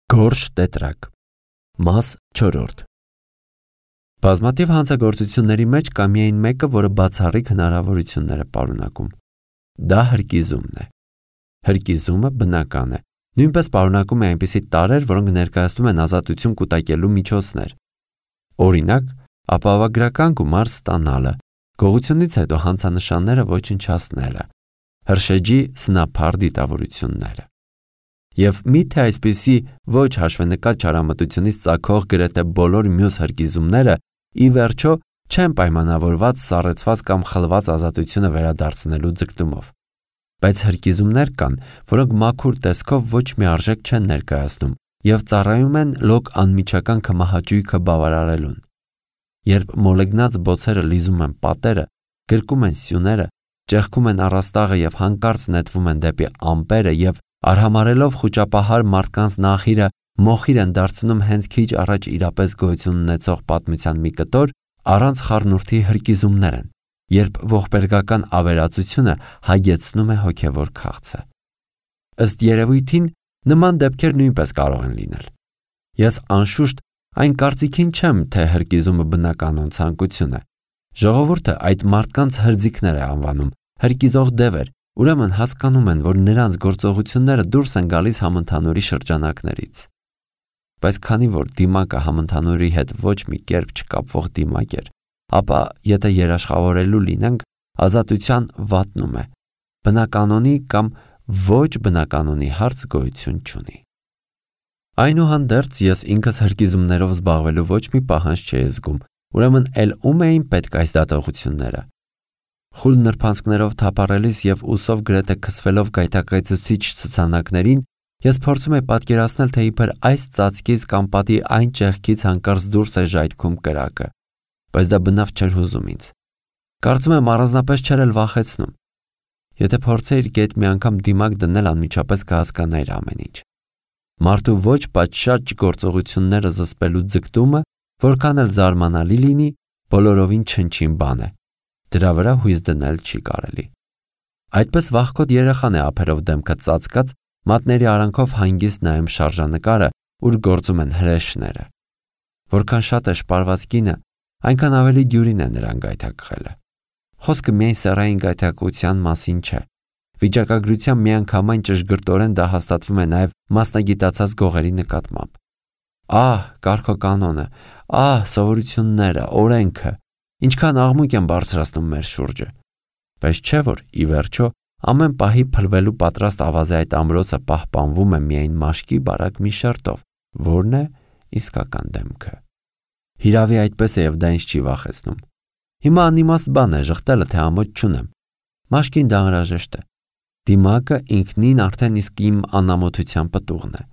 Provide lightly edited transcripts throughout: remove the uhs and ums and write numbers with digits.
Գորշ տետրակ Մաս 4 Բազմաթիվ հանցագործությունների մեջ կա միայն մեկը, որը բացառիկ հնարավորություններ է պարունակում։ Դա հրկիզումն է։ Հրկիզումը բնական է, նույնպես պարունակում է այնպիսի տարրեր, որոնք ներկայացնում են ազատություն կուտակելու միջոցներ։ Օրինակ, ապահովագրական գումար ստանալը, գողությունից հետո հանցանշանները ոչնչացնելը, հրշեջի սնափառ դիտավորությունները։ Եվ միթե այսպիսի ոչ հաշվենկատ չարամտությունից ծագող գրեթե բոլոր մյուս հրկիզումները ի վերջո չեն պայմանավորված սառեցված կամ խլված ազատությունը վերադարձնելու ձգտումով։ Բայց հրկիզումներ կան, որոնք մաքուր տեսքով ոչ մի արժեք չեն ներկայացնում և ծառայում են լոկ անմիջական քմահաճույքը բավարարելուն։ Երբ մոլեգնած բոցերը լիզում են պատերը, գրկում են սյուները, ճեղքում են առաստաղը և հանկարծ նետվում են դեպի ամպերը և արհամարելով խուճապահար մարդկանց նախիրը մոխիր են դարձնում հենց քիչ առաջ իրապես գոյություն ունեցող պատմության մի կտոր, առանց խառնուրդի հրկիզումներ են, երբ ողբերգական ավերածությունը հագեցնում է հոգևոր քաղցը։ Ըստ երևույթին, նման դեպքեր նույնպես կարող են լինել։ Ես անշուշտ այն կարծիքին չեմ, թե հրկիզումը բնականon ցանկություն է։ Ժողովուրդը այդ մարդկանց հրձիքներ է անվանում, հրկիզող դևեր, ուրեմն հասկանում են, որ նրանց գործողությունները դուրս են գալիս համընդհանուրի շրջանակներից։ Բայց քանի որ դիմակը համընդհանուրի հետ ոչ մի կերպ չկապվող դիմակ էր, ապա եթե երաշխավորելու լինենք, ազատության վատնում է, բնականոնի կամ ոչ բնականոնի հարց գոյություն չունի։ Այնուհանդերձ ես ինքս հրկիզումներով զբաղվելու ոչ մի պահանջ չէի զգում, ուրեմն էլ ում էին պետք այս դատողությունները։ Խուլ նրբանցքներով թափառելիս և ուսով գրեթե քսվելով գայթակղեցուցիչ ցուցանակներին, ես փորձում եի պատկերացնել, թե իբր այս ծածկից կամ պատի այն ճեղքից հանկարծ դուրս է ժայթքում կրակը, բայց դա բնավ չէր հուզում ինձ։ Կարծում եմ առանձնապես չէր էլ վախեցնում։ Եթե փորձեիր գետ մի անգամ դիմակ դնել, անմիջապես կհասկանայիր ամեն ինչ։ Մարդու ոչ պատշաճ գործողությունները զսպելու ձգտումը, որքան էլ զարմանալի լինի, բոլորովին չնչին բան է։ Դրա վրա հույս դնել չի կարելի։ Այդպես վախկոտ երեխան է ափերով դեմքը ծածկած, մատների արանքով հանգիստ նայում շարժանկարը, ուր գործում են հրեշները։ Որքան շատ է շպարված կինը, այնքան ավելի դյուրին է նրան գայթակղելը։ Խոսքը միայն սեռային գայթակղության մասին չէ։ Վիճակագրության միանգամայն ճշգրտորեն դա հաստատվում է նաև մասնագիտացած գողերի նկատմամբ։ Ահ, կարգոկանոնը, ահ, սովորությունները, օրենքը, ինչքան աղմուկ են բարձրացնում մեր շուրջը։ Բայց չէ՞ որ ի վերջո ամեն պահի փլվելու պատրաստ ավազի այդ ամրոցը պահպանվում է միայն մաշկի բարակ մի շերտով, որն է իսկական դեմքը։ Հիրավի այդպես է և դա ինձ չի վախեցնում։ Հիմա անիմաստ բան է ժխտելը, թե ամոթ չունեմ։ Մաշկին դա անհրաժեշտ է։ Դիմակը ինքնին արդեն իսկ իմ անամոթության պտուղն է։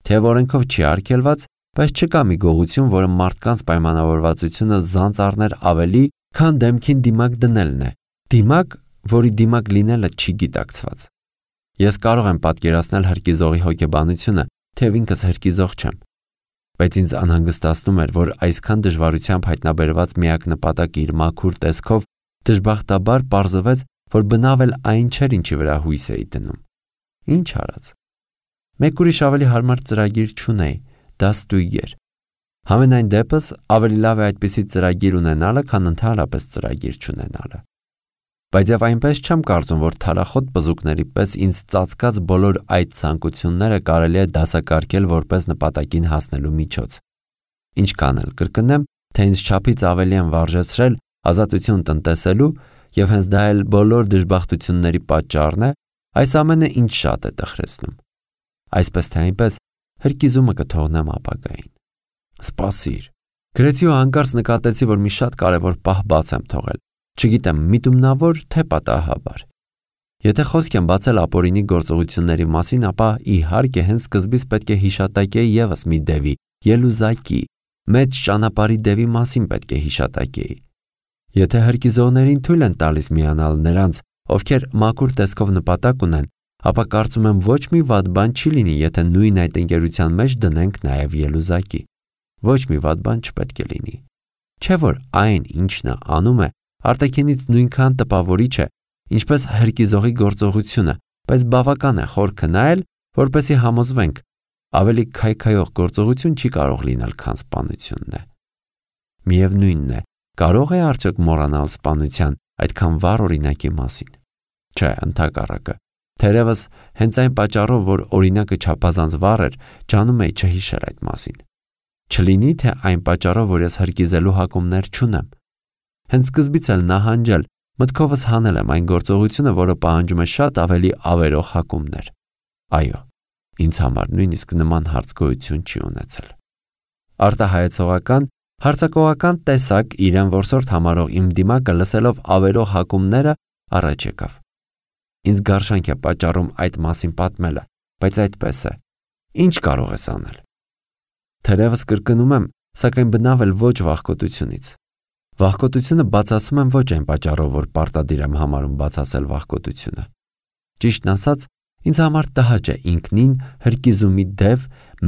Թեև օրենքով չի արգելված, բայց չկա մի գողություն, որը մարդկանց պայմանավորվածությունը զանց առներ ավելի, քան դեմքին դիմակ դնելն է։ Դիմակ, որի դիմակ լինելը չի գիտակցված։ Ես կարող եմ պատկերացնել հրկիզողի հոգեբանությունը, թեև ինքս հրկիզող չեմ։ Բայց ինձ անհանգստացնում էր, որ այսքան դժվարությամբ հայտնաբերված միակ նպատակը իր մաքուր տեսքով դժբախտաբար պարզվեց, որ բնավ էլ այն չէր, ինչի վրա հույս էի դնում։ Ինչ արած։ Մեկ ուրիշ ավելի հարմար ծրագիր չունեի, դա ստույգ էր։ Համենայն դեպս ավելի լավ է այդպիսի ծրագիր ունենալը, քան ընդհանրապես ծրագիր չունենալը։ Բայց եւ այնպես չեմ կարծում, որ թարախոտ բզուկների պես ինձ ծածկած բոլոր այդ ցանկությունները կարելի է դասակարգել որպես նպատակին հասնելու միջոց։ Ինչքան էլ կրկնեմ, թե ինձ չափից ավելի են վարժեցրել ազատություն տնտեսելու եւ հենց դա էլ բոլոր դժբախտությունների պատճառն է, այս ամենը ինձ շատ է տխրեցնում։ Այսպես թե այնպես հրկիզումը կթողնեմ ապագային։ Սպասիր։ Գրեցի ու հանկարծ նկատեցի, որ մի շատ կարևոր պահ բաց եմ թողել։ Չգիտեմ, միտումնավոր թե պատահաբար։ Եթե խոսք եմ բացել ապօրինի գործողությունների մասին, ապա իհարկե հենց սկզբից պետք է հիշատակեի ևս մի դևի, Ելուզակի, մեծ ճանապարհի դևի մասին պետք է հիշատակեի։ Եթե հրկիզողներին թույլ են տալիս միանալ նրանց, ովքեր մաքուր տեսքով նպատակ ունեն, ապա կարծում եմ ոչ մի վատ բան չի լինի, եթե նույն այդ ընկերության մեջ դնենք նաև Ելուզակի։ Ոչ մի վատ բան չպետք է լինի։ Չէ՞ որ այն, ինչ նա անում է, արտաքինից նույնքան տպավորիչ է, ինչպես հրկիզողի գործողությունը, բայց բավական է խոր քնայել, որպեսզի համոզվենք, ավելի քայքայող գործողություն չի կարող լինել, քան սպանությունն է։ Միևնույնն է, կարող է արդյոք մոռանալ սպանության այդքան վառ օրինակի մասին։ Չէ, ընդհակառակը, թերևս հենց այն պատճառով, որ օրինակը չափազանց վառ էր, ջանում էի չհիշել այդ մասին։ Չլինի թե այն պատճառով, որ ես հրկիզելու հակումներ չունեմ։ Հենց սկզբից էլ նահանջել, մտքովս հանել եմ այն գործողությունը, որը պահանջում է շատ ավելի ավերող հակումներ։ Այո, ինձ համար նույնիսկ նման հարց գոյություն չի ունեցել։ Արտահայեցողական, հարձակողական տեսակ իրեն որսորդ համարող իմ դիմակը լսելով ավերող հակումները առաջ եկավ։ Ինձ գարշանք է պատճառում այդ մասին պատմելը, բայց այդպես է։ Ինչ կարող ես անել։ Թերևս կրկնում եմ, սակայն բնավ էլ ոչ վախկոտությունից։ Վախկոտությունը բացասում եմ ոչ այն պատճառով, որ պարտադիր եմ համարում բացասել վախկոտությունը։ Ճիշտն ասած, ինձ համար տհաճ է ինքնին հրկիզումի դև,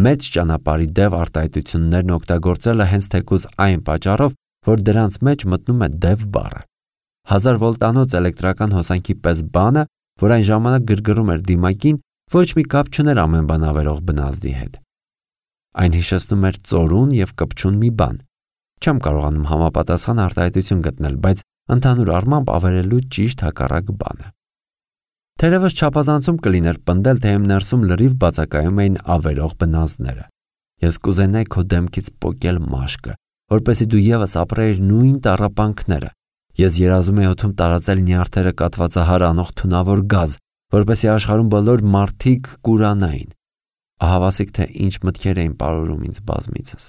մեծ ճանապարհի դև արտահայտություններն օգտագործելը հենց թեկուզ այն պատճառով, որ դրանց մեջ մտնում է դև բառը։ 1000 վոլտանոց էլեկտրական հոսանքի պես բանը, որ այն ժամանակ գրգռում էր դիմակին, ոչ մի կապ չուներ ամեն բան ավերող բնազդի հետ։ Այն հիշեցնում էր ծորուն և կպչուն մի բան։ Չեմ կարողանում համապատասխան արտահայտություն գտնել, բայց ընդհանուր առմամբ ավերելու ճիշտ հակառակ բանը։ Թերևս չափազանցում կլիներ պնդել, թե իմ ներսում լրիվ բացակայում էին ավերող բնազդները։ Ես կուզենայի քո դեմքից պոկել մաշկը, որպեսզի դու ևս ապրեիր նույն տառապանքները։ Ես երազում եի օդում տարածել նյարդերը կաթվածահար անող թունավոր գազ, որպեսզի աշխարհում բոլոր մարդիկ կուրանային։ Ահավասիկ թե ինչ մտքեր էին պարուրում ինձ բազմիցս։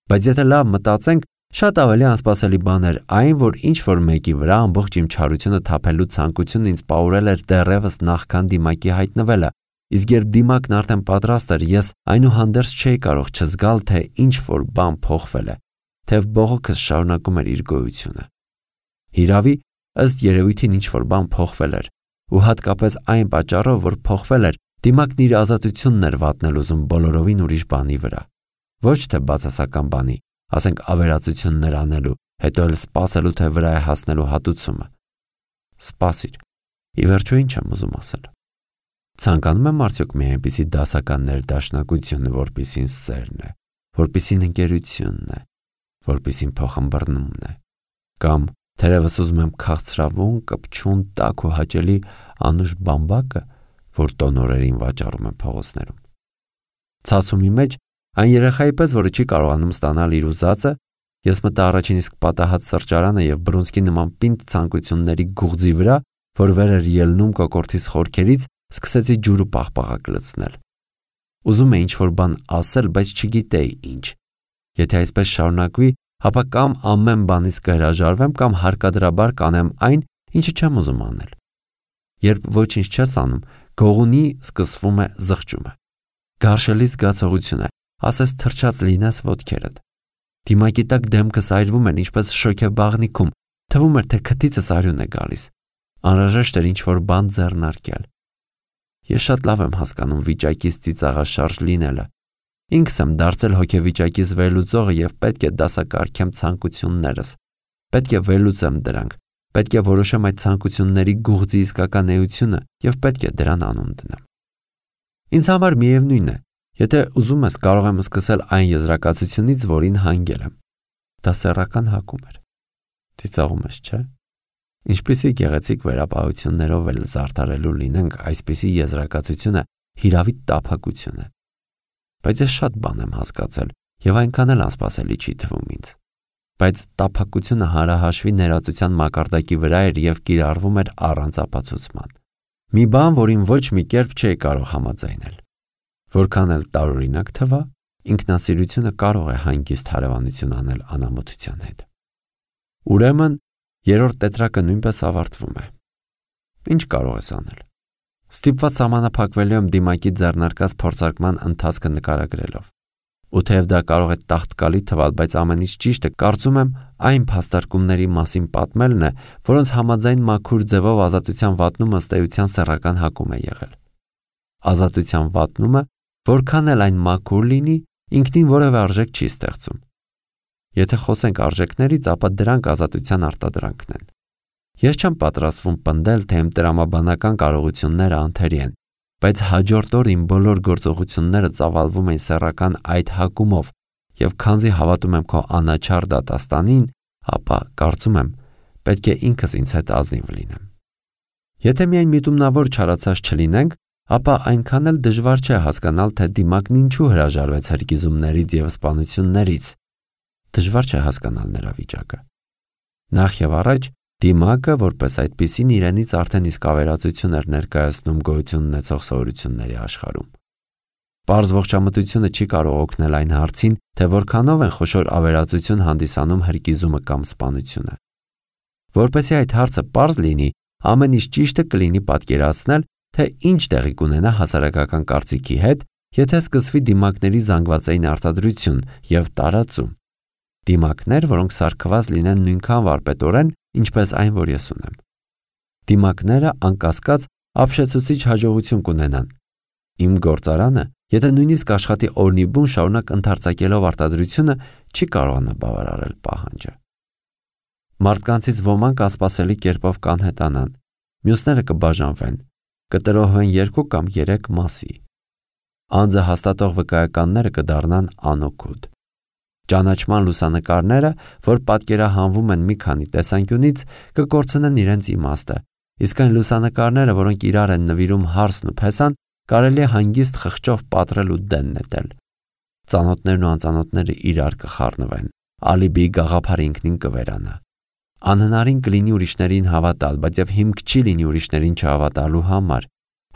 Բայց եթե լավ մտածենք, շատ ավելի անսպասելի բան էր այն, որ ինչ-որ մեկի վրա ամբողջ իմ չարությունը թափելու ցանկությունն ինձ պարուրել էր դեռևս նախքան դիմակի հայտնվելը, իսկ երբ դիմակն արդեն պատրաստ էր, ես այնուհանդերձ չէի կարող չզգալ, թե ինչ-որ բան փոխվել է, թեև բողոքս շարունակում էր իր գոյությունը։ Հիրավի, ըստ երևույթին ինչ-որ բան փոխվել էր, ու հատկապես այն պատճառով, որ փոխվել էր, դիմակն իր ազատությունն էր վատնել ուզում բոլորովին ուրիշ բանի վրա։ Ոչ թե բացասական բանի, ասենք ավերածություններ անելու, հետո էլ սպասելու, թե վրա է հասնելու հատուցումը։ Սպասիր, ի վերջո ինչ եմ ուզում ասել։ Ցանկանում եմ արդյոք մի այնպիսի դասական ներդաշնակությունը, որպիսին սերն է, որպիսին ընկերությունն է, որպիսին փոխըմբռնումն է, կամ թերևս ուզում եմ քաղցրավուն, կպչուն, տաք ու հաճելի անուշ բամբակը, որ տոնորերին վաճառում են փողոցներում։ Ցասումի մեջ այն երեխայի պես, որը չի կարողանում ստանալ իր ուզածը, ես մտա առաջին իսկ պատահած սրճարանը և բռունցքի նման պինդ ցանկությունների գուղձի վրա, որ վեր էր ելնում կոկորդիս խորքերից, սկսեցի ջուրը պաղպաղակ լցնել։ Ուզում էի ինչ-որ բան ասել, բայց չգիտեի ինչ։ Եթե այսպես շարունակվի, ապա կամ ամեն բանից կհրաժարվեմ, կամ հարկադրաբար կանեմ այն, ինչը չեմ ուզում անել։ Երբ ոչինչ չես անում, գողունի սկսվում է զղջումը։ Գարշելի զգացողություն է, ասես թրջած լինես ոտքերդ։ Դիմակի տակ դեմքս այրվում էր ինչպես շոգեբաղնիքում, թվում էր, թե քթիցս արյուն է գալիս։ Անհրաժեշտ էր ինչ-որ բան ձեռնարկել։ Ես շատ լավ եմ հասկանում վիճակից ծիծաղաշարժ լինելը։ Ինքս եմ դարձել հոգեվիճակից վերլուծողը և պետք է դասակարգեմ ցանկություններս։ Պետք է վերլուծեմ դրանք, պետք է որոշեմ այդ ցանկությունների գուղձի իսկական էությունը և պետք է դրան անուն դնեմ։ Ինձ համար միևնույն է, եթե ուզում ես, կարող եմ սկսել այն եզրակացությունից, որին հանգել եմ։ Դա սեռական հակում էր։ Ծիծաղում ես, չէ՞։ Ինչպիսի գեղեցիկ վերապահություններով էլ զարդարելու լինենք այսպիսի եզրակացությունը հիրավի տափակություն է։ Բայց ես շատ բան եմ հասկացել և այնքան էլ անսպասելի չի թվում ինձ։ Բայց տափակությունը հանրահաշվի ներածության մակարդակի վրա էր և կիրառվում էր առանց ապացուցման։ Մի բան, որին ոչ մի կերպ չէի կարող համաձայնել։ Որքան էլ տարօրինակ թվա, ինքնասիրությունը կարող է հանգիստ հարևանություն անել անամոթության հետ։ Ուրեմն, երրորդ տետրակը նույնպես ավարտվում է։ Ինչ կարող ես անել։ Ստիպված սահմանափակվելու եմ դիմակի ձեռնարկած փորձարկման ընթացքը նկարագրելով։ Ու թեև դա կարող է տաղտկալի թվալ, բայց ամենից ճիշտը կարծում եմ այն փաստարկումների մասին պատմելն է, որոնց համաձայն մաքուր ձևով ազատության վատնումը ըստ էության սեռական հակում է եղել։ Ազատության վատնումը, որքան էլ այն մաքուր լինի, ինքնին որևէ արժեք չի ստեղծում։ Եթե խոսենք արժեքներից, ապա դրանք ազատության արտադրանքն են։ Ես չեմ պատրաստվում պնդել, թե իմ տրամաբանական կարողությունները անթերի են, բայց հաջորդ օր իմ բոլոր գործողությունները ծավալվում էին սեռական այդ հակումով, եւ քանզի հավատում եմ քո անաչառ դատաստանին, ապա կարծում եմ, պետք է ինքս ինձ հետ ազնիվ լինեմ։ Եթե միայն միտումնավոր չարացած չլինենք, ապա այնքան էլ դժվար չէ հասկանալ, թե դիմակն ինչու հրաժարվեց հրկիզումներից եւ սպանություններից։ Դժվար չէ հասկանալ նրա վիճակը։ Նախ եւ առաջ դիմակը, որպես այդպիսին, իրենից արդեն իսկ ավերածություն էր ներկայացնում գոյություն ունեցող սովորությունների աշխարհում։ Պարզ ողջամտությունը չի կարող օգնել այն հարցին, թե որքանով են խոշոր ավերածություն հանդիսանում հրկիզումը կամ սպանությունը։ Որպեսզի այդ հարցը պարզ լինի, ամեն ինչ ճիշտը կլինի պատկերացնել, թե ինչ տեղի կունենա հասարակական կարծիքի հետ, եթե սկսվի դիմակների զանգվածային արտադրություն եւ տարածում։ Դիմակներ, որոնք սարքված լինեն նույնքան վարպետորեն, ինչպես այն, որ ես ունեմ։ Դիմակները անկասկած ապշեցուցիչ հաջողություն կունենան։ Իմ գործարանը, եթե նույնիսկ աշխատի օրնիբուն շարունակ ընդարձակելով արտադրությունը, չի կարողանա բավարարել պահանջը։ Մարդկանցից ոմանք ասպասելի կերպով կանհետանան, մյուսները կբաժանվեն, կտրոհվեն 2 կամ 3 մասի։ Անձը հաստատող վկայականները կդառնան անօգուտ։ Ճանաչման լուսանկարները, որ պատկերահանվում են մի քանի տեսանկյունից, կկորցնեն իրենց իմաստը, իսկ այն լուսանկարները, որոնք իրար են նվիրում հարսն ու փեսան, կարելի է հանգիստ խղճով պատռել ու դեն նետել։ Ծանոթներն ու անծանոթները իրար կխառնվեն, ալիբիի գաղափարը ինքնին կվերանա։ Անհնարին կլինի ուրիշներին հավատալ, բայց եւ հիմք չի լինի ուրիշներին չհավատալու համար։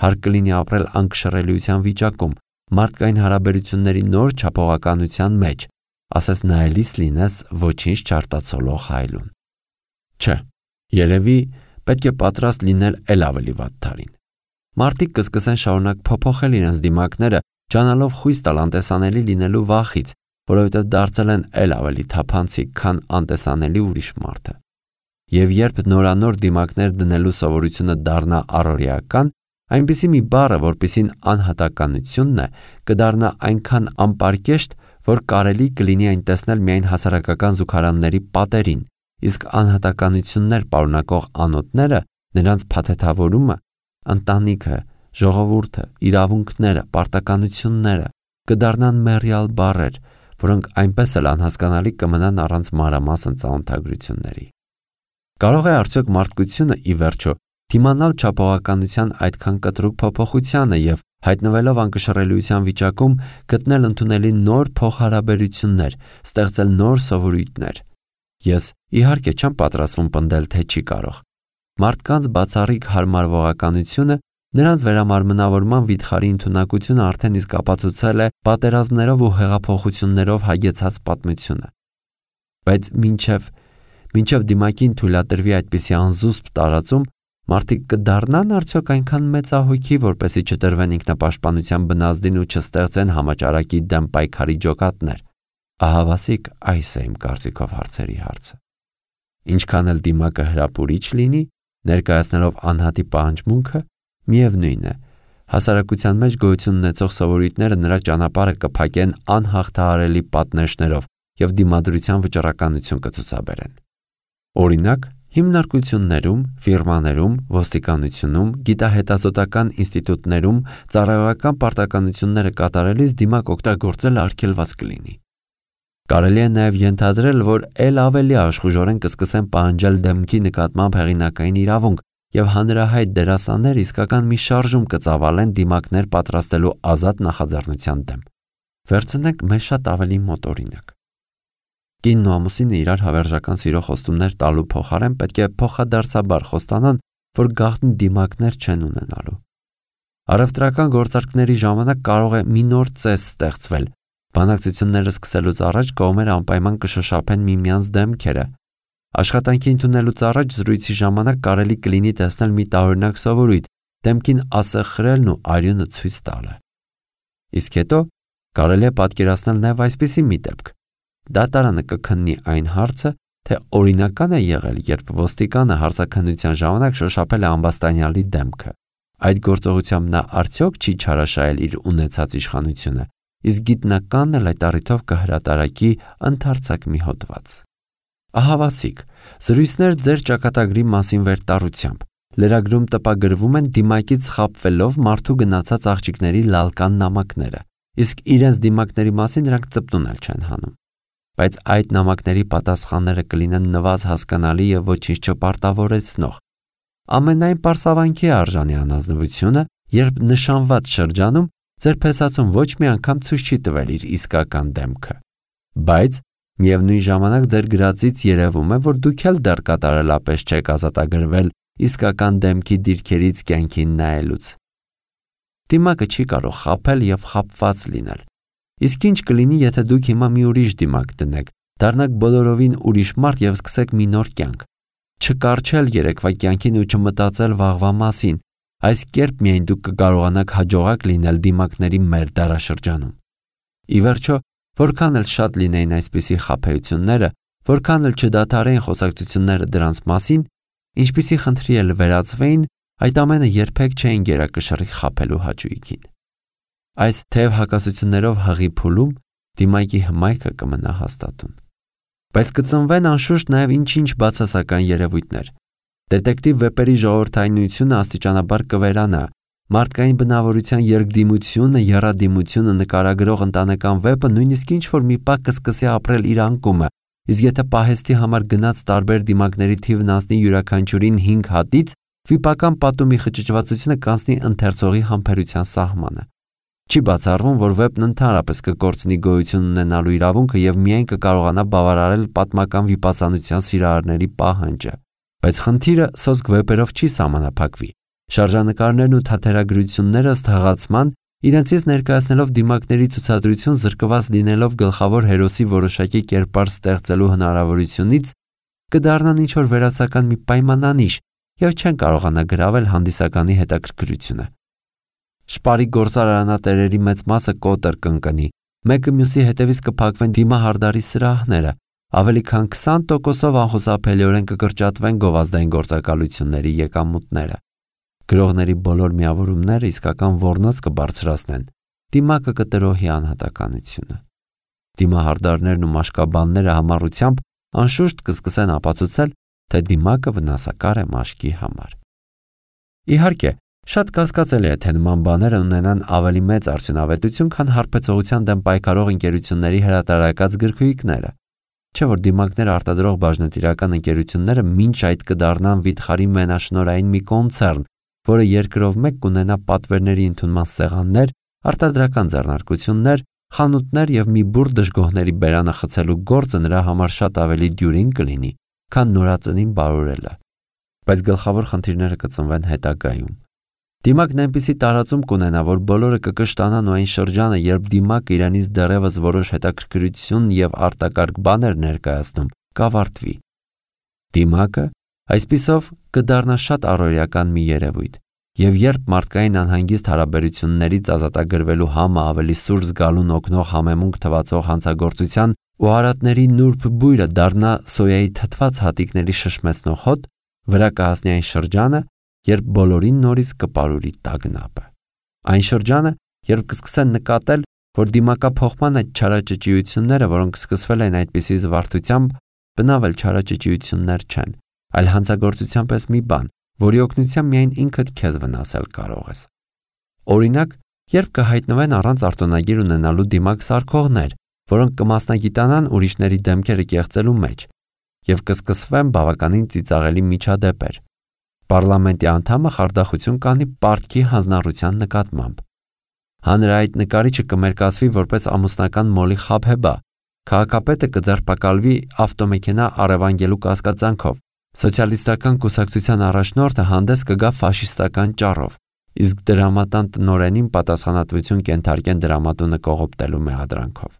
Հարկ կլինի ապրել անկշռելիության վիճակում, մարդկային հարաբերությունների նոր չափողականության մեջ, ասես նայելիս լինես ոչինչ չարտացոլող հայլուն։ Չէ, երևի պետք է պատրաստ լինել էլ ավելի վատ թարին։ Մարդիկ կսկսեն շարունակ փոփոխել իրենց դիմակները, ճանալով խույս տալ անտեսանելի լինելու վախից, որովհետև դարձել են էլ ավելի թափանցիկ, քան անտեսանելի ուրիշ մարդը։ Եվ երբ նորանոր դիմակներ դնելու սովորությունը դառնա առօրեական, այնպիսի մի բառը, որպիսին անհատականությունն է, կդառնա այնքան անպարկեշտ, որ կարելի կլինի այն տեսնել միայն հասարակական զուգարանների պատերին, իսկ անհատականություններ պարունակող անոթները, նրանց փաթեթավորումը, ընտանիքը, ժողովուրդը, իրավունքները, պարտականությունները կդառնան մեռյալ բառեր, որոնք այնպես էլ անհասկանալի կմնան առանց մանրամասն ծանոթագրությունների։ Կարող է արդյոք մարդկությունը ի վերջո դիմանալ չափողականության այդքան կտրուկ փոփոխությանը եւ հայտնվելով անկշռելիության վիճակում գտնել ընդունելի նոր փոխհարաբերություններ, ստեղծել նոր սովորույթներ։ Ես իհարկե չեմ պատրաստվում պնդել, թե չի կարող։ Մարդկանց բացառիկ հարմարվողականությունը, նրանց վերամարմնավորման վիթխարի ընդունակությունը արդեն իսկ ապացուցել է պատերազմներով ու հեղափոխություններով հագեցած պատմությունը։ Բայց մինչև դիմակին թույլատրվի այդպիսի անզուսպ տարածում, մարդիկ կդառնան արդյոք այնքան մեծահոգի, որպեսզի չտրվեն ինքնապաշտպանության բնազդին ու չստեղծեն համաճարակի դեմ պայքարի ջոկատներ։ Ահավասիկ այս է իմ կարծիքով հարցերի հարցը։ Ինչքան էլ դիմակը հրապուրիչ լինի, ներկայացնելով անհատի պահանջմունքը, միևնույն է, հասարակության մեջ գոյություն ունեցող սովորույթները նրա ճանապարհը կփակեն անհաղթահարելի պատնեշներով եւ դիմադրության վճռականություն կցուցաբերեն։ Օրինակ, հիմնարկություններում, ֆիրմաներում, ոստիկանությունում, գիտահետազոտական ինստիտուտներում ծառայողական պարտականությունները կատարելիս դիմակ օգտագործելը արգելված կլինի։ Կարելի է նաև ենթադրել, որ ել ավելի աշխուժորեն կսկսեն պահանջել դեմքի նկատմամբ հեղինակային իրավունք եւ հանրահայտ դերասաններ իսկական մի շարժում կծավալեն դիմակներ պատրաստելու ազատ նախաձեռնության դեմ։ Վերցնենք մեզ շատ ավելի մոտ օրինակ։ Կինն ու ամուսինը իրար հավերժական սիրո խոստումներ տալու փոխարեն պետք է փոխադարձաբար խոստանան, որ գաղտնի դիմակներ չեն ունենալու։ Առևտրական գործարքների ժամանակ կարող է մի նոր ծես ստեղծվել։ Բանակցությունները սկսելուց առաջ կողմերը անպայման կշոշափեն միմյանց դեմքերը։ Աշխատանքի ընդունելուց առաջ զրույցի ժամանակ կարելի կլինի տեսնել մի տարօրինակ սովորույթ՝ դեմքին ասեղ խրելն ու արյունը ցույց տալը։ Իսկ հետո կարելի է պատկերացնել նաև այսպիսի մի դեպք։ Դատարանը կքննի այն հարցը, թե օրինական է եղել, երբ ոստիկանը հարցաքննության ժամանակ շոշափել է ամբաստանյալի դեմքը։ Այդ գործողությամբ նա արդյոք չի չարաշահել իր ունեցած իշխանությունը, իսկ գիտնականն էլ այդ առիթով կհրատարակի ընդարձակ մի հոդված։ Ահավասիկ, զրույցներ ձեր ճակատագրի մասին վերտառությամբ, Լրագրում տպագրվում են դիմակից խաբվելով մարդու գնացած աղջիկների լալկան նամակները, իսկ իրենց դիմակների մասին նրանք ծպտուն էլ չեն հանում։ Բայց այդ նամակների պատասխանները կլինեն նվազ հասկանալի եւ ոչինչ չպարտավորեցնող։ Ամենայն պարսավանքի արժանի անազնվությունը, երբ նշանված շրջանում ձեր փեսացուն ոչ մի անգամ ցույց չի տվել իր իսկական դեմքը։ Բայց միևնույն ժամանակ ձեր գրածից երևում է, որ դուք էլ դեռ կատարելապես չեք ազատագրվել իսկական դեմքի դիրքերից կյանքին նայելուց։ Դիմակը չի կարող խաբել եւ խաբված լինել։ Իսկ ինչ կլինի, եթե դուք հիմա մի ուրիշ դիմակ դնեք, դառնաք բոլորովին ուրիշ մարդ եւ սկսեք մի նոր կյանք։ Չկարչել երեկվա կյանքին ու չմտածել վաղվա մասին, այս կերպ միայն դուք կկարողանաք հաջողակ լինել դիմակների մեր դարաշրջանում։ Ի վերջո, որքան էլ շատ լինեին այսպիսի խաբեությունները, որքան էլ չդադարեին խոսակցությունները դրանց մասին, ինչպիսի խնդրի էլ վերածվեին, այդ ամենը երբեք չէին գերակշռի խաբելու հաճույքին։ Այս թեև հակասություններով հղի փուլում դիմակի հմայքը կմնա հաստատուն։ Բայց կծնվեն անշուշտ նաև ինչ-ինչ բացասական երևույթներ։ Դետեկտիվ վեպերի ժողովրդայնությունը աստիճանաբար կվերանա, մարդկային բնավորության երկդիմությունը, եռադիմությունը նկարագրող ընտանեկան վեպը նույնիսկ ինչ-որ մի պահ կսկսի ապրել իր անկումը, իսկ եթե պահեստի համար գնած տարբեր դիմակների թիվն անցնի յուրաքանչյուրին 5 հատից, վիպական պատումի խճճվածությունը կանցնի ընթերցողի համբերության սահմանը։ Չի բացառվում, որ վեպն ընդհանրապես կկորցնի գոյություն ունենալու իրավունքը եւ միայն կկարողանա բավարարել պատմական վիպասանության սիրահարների պահանջը։ Բայց խնդիրը սոսկ վեպերով չի սահմանափակվի։ Շարժանկարներն ու թատերագրությունները ըստ հղացման, իրենցից ներկայացնելով դիմակների ցուցադրություն զրկված լինելով գլխավոր հերոսի որոշակի կերպար ստեղծելու հնարավորությունից, կդառնան ինչ-որ վերացական մի պայմանանիշ եւ չեն կարողանա գրավել հանդիսականի հետաքրքրությունը։ Շպարի գործարանատերերի մեծ մասը կոտր կընկնի, մեկը մյուսի հետևից կփակվեն դիմահարդարի սրահները, ավելի քան 20%-ով անխուսափելիորեն կկրճատվեն գովազդային գործակալությունների եկամուտները։ Գրողների բոլոր միավորումները իսկական ոռնոց կբարձրացնեն, դիմակը կտրոհի անհատականությունը։ Դիմահարդարներն ու մաշկաբանները համառությամբ անշուշտ կսկսեն ապացուցել, թե դիմակը վնասակար է մաշկի համար։ Իհարկե, շատ կասկածելի է, թե նման բաները ունենան ավելի մեծ արդյունավետություն, քան հարբեցողության դեմ պայքարող ընկերությունների հրատարակած գրքույկները։ Չէ՞ որ դիմակներ արտադրող բաժնետիրական ընկերությունները մինչ այդ կդառնան վիթխարի մենաշնորհային մի կոնցեռն, որը երկրով մեկ կունենա պատվերների ընդունման սեղաններ, արտադրական ձեռնարկություններ, խանութներ եւ մի բուռ դժգոհների բերանը խցելու գործը նրա համար շատ ավելի դյուրին կլինի, քան նորածնին բարորելը։ Բայց գլխավոր խնդիրները կծնվեն հետագայում։ Դիմակն այնպիսի տարածում կունենա, որ բոլորը կկշտանան ու այն շրջանը, երբ դիմակը իրանից դեռևս որոշ հետաքրքրություն եւ արտակարգ բաներ ներկայացնում, կավարտվի։ Դիմակը այսպիսով կդառնա շատ առօրեական մի երևույթ, եւ երբ մարդկային անհանգիստ հարաբերություններից ազատագրվելու համը ավելի սուր զգալուն օգնող համեմունք թվացող հանցագործության ու արատների նուրբ բույրը դառնա սոյայի թթված հատիկների շշմեցնող հոտ, վրա կհասնի այն շրջանը, երբ բոլորին նորից կպարուրի տագնապը։ Այն շրջանը, երբ կսկսեն նկատել, որ դիմակափոխման այդ չարաճճիությունները, որոնք սկսվել են այդպիսի զվարթությամբ, բնավ էլ չարաճճիություններ չեն, այլ հանցագործության պես մի բան, որի օգնությամբ միայն ինքդ քեզ վնասել կարող ես։ Օրինակ, երբ կհայտնվեն առանց արտոնագիր ունենալու դիմակ սարքողներ, որոնք կմասնագիտանան ուրիշների դեմքերը կեղծելու մեջ, եւ կսկսվեն բավականին ծիծաղելի միջադեպեր։ Պարլամենտի անդամը խարդախություն կանի պարտքի հանձնառության նկատմամբ։ Հանրահայտ նկարիչը կմերկացվի որպես ամուսնական մոլի խաբեբա, քաղաքապետը կձերբակալվի ավտոմեքենա առևանգելու կասկածանքով, սոցիալիստական կուսակցության առաջնորդը հանդես կգա ֆաշիստական ճառով, իսկ դրամատան տնօրենին պատասխանատվություն կենթարկեն դրամատունը կողոպտելու մեղադրանքով։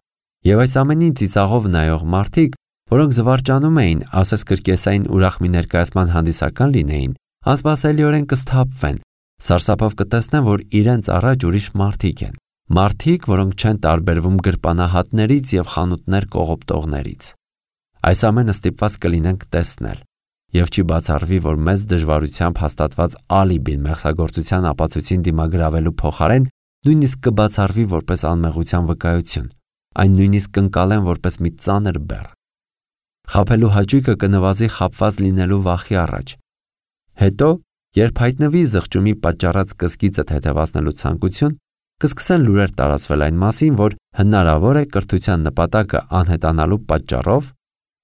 Եվ այս ամենին ծիծաղով նայող մարդիկ, որոնք զվարճանում էին, ասես կրկեսային ուրախ մի ներկայացման հանդիսական լինեին, անսպասելիորեն կսթափվեն, սարսափով կտեսնեն, որ իրենց առաջ ուրիշ մարդիկ են, մարդիկ, որոնք չեն տարբերվում գրպանահատներից եւ խանութներ կողոպտողներից։ Այս ամենը ստիպված կլինենք տեսնել, եւ չի բացառվի, որ մեծ դժվարությամբ հաստատված ալիբին մեղսագործության ապացույցին դիմագրավելու փոխարեն նույնիսկ կբացառվի որպես անմեղության վկայություն, այն նույնիսկ կընկալեն որպես մի ծանր բեռ։ Խաբելու հաճույքը կնվազի խաբված լինելու վախի առաջ։ Հետո, Երբ հայտնվի զղջումի պատճառած կսկիծը թեթևացնելու ցանկություն, կսկսեն լուրեր տարածվել այն մասին, որ հնարավոր է կրթության նպատակը անհետանալու պատճառով,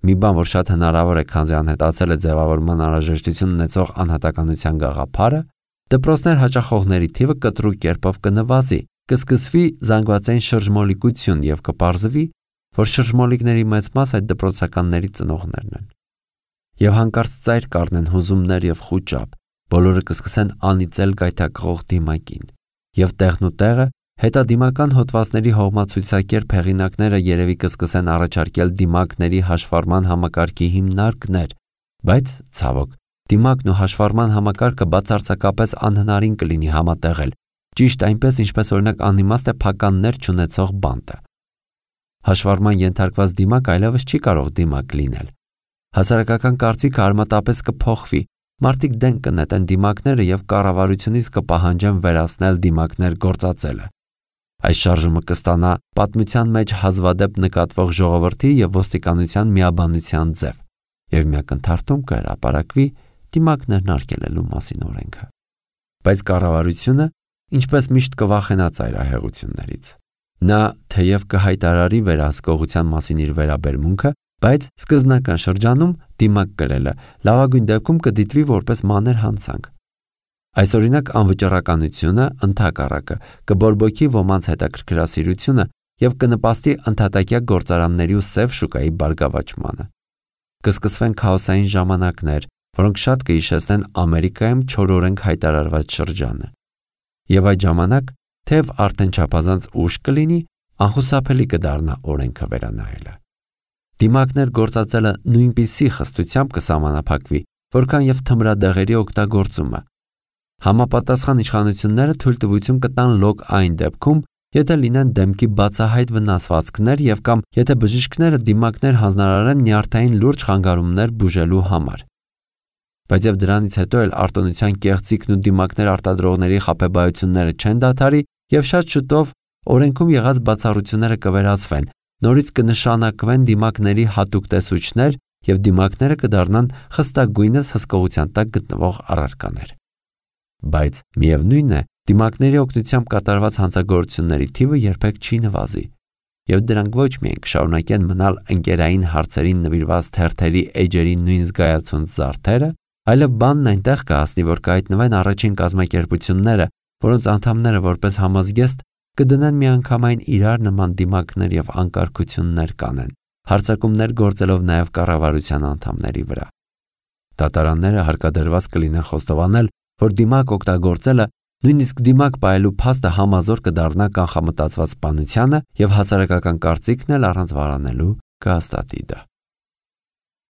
մի բան, որ շատ հնարավոր է, քանզի անհետացել է ձևավորման անհրաժեշտություն ունեցող անհատականության գաղափարը, դպրոցներ հաճախողների թիվը կտրուկ կերպով կնվազի, կսկսվի զանգվածային շրջմոլիկություն եւ կպարզվի, որ շրջմոլիկների մեծ մաս այդ դպրոցականների ծնողներն են։ Եվ հանկարծ ծայր կառնեն հուզումներ եւ խուճապ, բոլորը կսկսեն անիծել գայթակղող դիմակին, եւ տեղն ու տեղը հետադիմական հոդվածների հողմացույցակերպ հեղինակները երևի կսկսեն առաջարկել դիմակների հաշվառման համակարգի հիմնարկներ, բայց ցավոք, դիմակն ու հաշվառման համակարգը բացարձակապես անհնարին կլինի համատեղել, ճիշտ այնպես, ինչպես օրինակ անիմաստ է փականներ չունեցող բանտը։ Հաշվառման ենթարկված դիմակ այլևս չի կարող դիմակ լինել։ Հասարակական կարծիքը արմատապես կփոխվի, մարդիկ դեն կնետեն դիմակները եւ կառավարությունից կպահանջեն վերացնել դիմակներ գործածելը։ Այս շարժումը կստանա պատմության մեջ հազվադեպ նկատվող ժողովրդի եւ ոստիկանության միաբանության ձև, եւ միակնթարթում կհրապարակվի դիմակներն արգելելու մասին օրենքը։ Բայց կառավարությունը, ինչպես միշտ, կվախենա ծայրահեղություններից։ Նա թեև կհայտարարի վերահսկողության մասին իր վերաբերմունքը, բայց սկզբնական շրջանում դիմակ կրելը լավագույն դեպքում կդիտվի որպես մանր հանցանք։ Այս օրինակ անվճռականությունը ընդհակառակը կբորբոքի ոմանց հետաքրքրասիրությունը եւ կնպաստի ընդհատակյա գործարանների ու սև շուկայի բարգավաճմանը։ Կսկսվեն քաոսային ժամանակներ, որոնք շատ կհիշեցնեն Ամերիկայում չորօրենք հայտարարված շրջանը։ Եվ այդ ժամանակ, թեև արդեն չափազանց ուշ կլինի, անխուսափելի կդառնա օրենքը վերանայելը։ Դիմակներ գործածելը նույնպիսի խստությամբ կսահմանափակվի, որքան եւ թմրադեղերի օգտագործումը։ Համապատասխան իշխանությունները թույլտվություն կտան լոկ այն դեպքում, եթե լինեն դեմքի բացահայտ վնասվածքներ եւ կամ եթե բժիշկները դիմակներ հանձնարարեն նյարդային լուրջ խանգարումներ բուժելու համար։ Բայց եւ դրանից հետո էլ արտոնության կեղծիքն ու դիմակներ արտադրողների խաբեբայությունները չեն դադարի եւ շատ շուտով օրենքում եղած բացառությունները կվերացվեն, նորից կնշանակվեն դիմակների հատուկ տեսուչներ եւ դիմակները կդառնան խստագույնս հսկողության տակ գտնվող առարկաներ։ Բայց միևնույն է, դիմակների օգնությամբ կատարված հանցագործությունների թիվը երբեք չի նվազի, եւ դրանք ոչ միայն կշարունակեն մնալ ընկերային հարցերին նվիրված թերթերի էջերի նույն զգայացած զարդերը, այլև բանն այնտեղ կհասնի, որ կհայտնվեն առաջին կազմակերպությունները, որոնց անդամները որպես համազգեստ կդնեն միանգամայն իրար նման դիմակներ եւ անկարգություններ կանեն, հարձակումներ գործելով նաեւ կառավարության անդամների վրա։ Դատարանները հարկադրված կլինեն խոստովանել, որ դիմակ օգտագործելը, նույնիսկ դիմակ պահելու փաստը համազոր կդառնա կանխամտածված սպանությանը եւ հասարակական կարծիքն էլ առանց վարանելու կհաստատի դա։